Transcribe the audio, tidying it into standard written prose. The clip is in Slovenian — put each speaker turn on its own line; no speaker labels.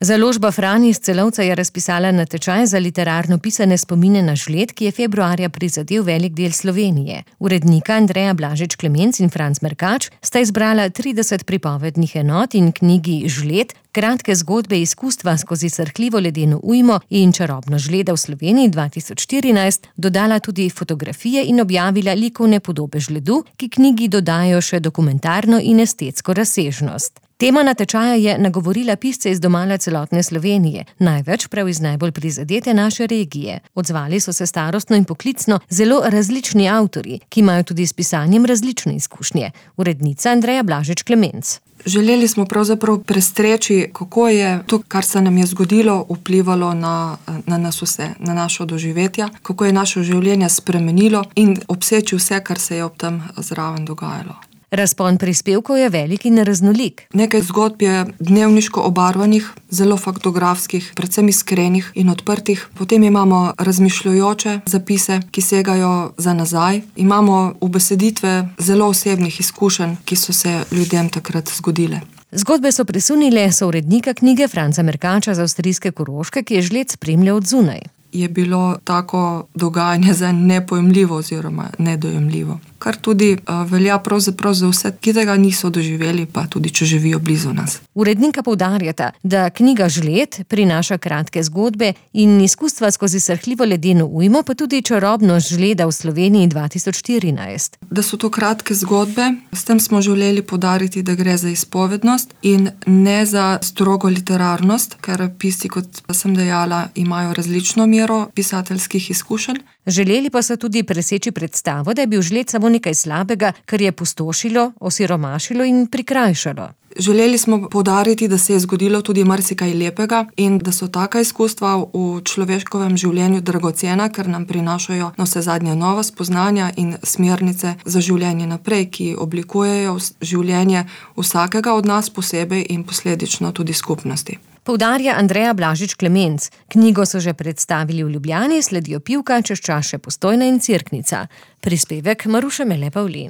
Založba Fran iz Celovca je razpisala natečaj za literarno pisane spomine na žled, ki je februarja prizadel velik del Slovenije. Urednika Andreja Blažič Klemenc in Franc Merkač sta izbrala 30 pripovednih enot in knjigi Žled, kratke zgodbe izkustva skozi srhljivo ledeno ujmo in čarobno žleda v Sloveniji 2014, dodala tudi fotografije in objavila likovne podobe žledu, ki knjigi dodajo še dokumentarno in estetsko razsežnost. Tema natečaja je nagovorila pisce iz domala celotne Slovenije, največ prav iz najbolj prizadete naše regije. Odzvali so se starostno in poklicno zelo različni avtorji, ki imajo tudi s pisanjem različne izkušnje. Urednica Andreja Blažič Klemenc.
Želeli smo pravzaprav prestreči, kako je to, kar se nam je zgodilo, vplivalo na nas vse, na našo doživetja, kako je naše življenje spremenilo in obseči vse, kar se je ob tem zraven dogajalo.
Razpon prispevkov je velik in raznolik.
Nekaj zgodb je dnevniško obarvanih, zelo faktografskih, predvsem iskrenih in odprtih. Potem imamo razmišljujoče zapise, ki segajo za nazaj. Imamo ubeseditve zelo osebnih izkušenj, ki so se ljudem takrat zgodile.
Zgodbe so presunile sourednika knjige Franca Merkača z avstrijske Koroške, ki je žled spremljal od zunaj.
Je bilo tako dogajanje za nepojemljivo oziroma nedojemljivo. Kar tudi velja pravzaprav za vse, ki tega niso doživeli, pa tudi če živijo blizu nas.
Urednika poudarjata, da knjiga Žled prinaša kratke zgodbe in izkustva skozi srhljivo ledeno ujmo, pa tudi čarobnost žleda v Sloveniji 2014.
Da so to kratke zgodbe, s tem smo želeli poudariti, da gre za izpovednost in ne za strogo literarnost, ker pisci, kot sem dejala, imajo različno mero pisateljskih izkušenj.
Želeli pa so tudi preseči predstavo, da je bil žled samo nekaj slabega, kar je pustošilo, osiromašilo in prikrajšalo.
Želeli smo poudariti, da se je zgodilo tudi marsikaj lepega in da so taka izkustva v človeškovem življenju dragocena, ker nam prinašajo navsezadnje nova spoznanja in smernice za življenje naprej, ki oblikujejo življenje vsakega od nas posebej in posledično tudi skupnosti.
Poudarja Andreja Blažič Klemenc. Knjigo so že predstavili v Ljubljani, sledijo Pivka, čez čas še Postojna in Cerknica. Prispevek Maruše Mele Pavlin.